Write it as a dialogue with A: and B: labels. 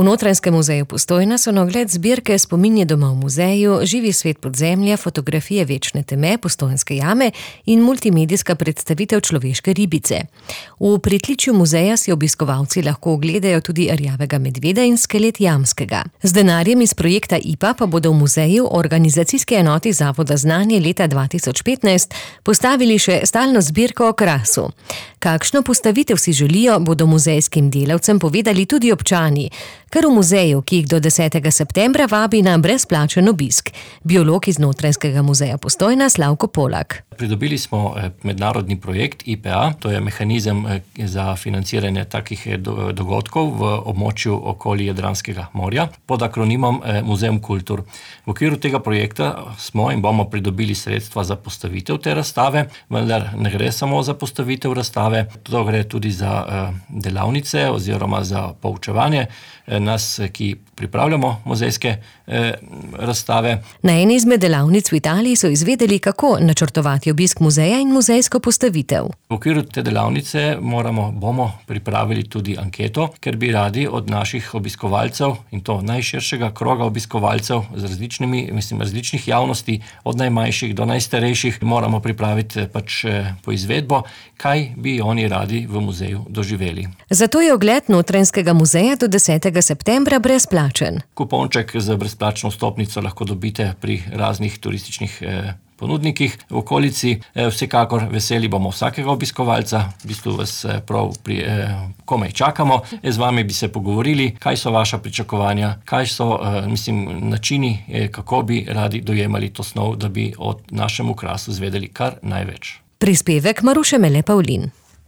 A: V Notranjskem muzeju Postojna so na ogled zbirke Spominje doma v muzeju, Živi svet podzemlja, fotografije večne teme, Postojnske jame in multimedijska predstavitev človeške ribice. V pritličju muzeja si obiskovalci lahko ogledajo tudi rjavega medveda in skelet jamskega. Z denarjem iz projekta IPA pa bodo v muzeju organizacijske enoti Zavoda Znanje leta 2015 postavili še stalno zbirko o krasu. Kakšno postavitev si želijo, bodo muzejskim delavcem povedali tudi občani, kar v muzeju, ki jih do 10. septembra vabi na brezplačen obisk. Biolog iz Notranjskega muzeja Postojna Slavko Polak.
B: Pridobili smo mednarodni projekt IPA, to je mehanizem za financiranje takih dogodkov v območju okoli Jadranskega morja pod akronimom Muzeum Kultur. V okviru tega projekta smo in bomo pridobili sredstva za postavitev te razstave, vendar ne gre samo za postavitev razstave, to gre tudi za delavnice oziroma za poučevanje nas, ki pripravljamo muzejske razstave.
A: Na eni izmed delavnic v Italiji so izvedeli, kako načrtovati obisk muzeja in muzejsko postavitev.
B: V okviru te delavnice bomo pripravili tudi anketo, ker bi radi od naših obiskovalcev, in to najširšega kroga obiskovalcev z različnih javnosti, od najmanjših do najstarejših, moramo pripraviti poizvedbo, kaj bi oni radi v muzeju doživeli.
A: Zato je ogled Notranjskega muzeja do 10. septembra brezplačen.
B: Kuponček za brezplačno vstopnico lahko dobite pri raznih turističnih ponudnikih v okolici. Vsekakor veseli bomo vsakega obiskovalca, v bistvu vas komaj čakamo. Z vami bi se pogovorili, kaj so vaša pričakovanja, kaj so načini, kako bi radi dojemali to snov, da bi o našem okrasu zvedeli kar največ.
A: Prispevek Maruše Mele Pavlin.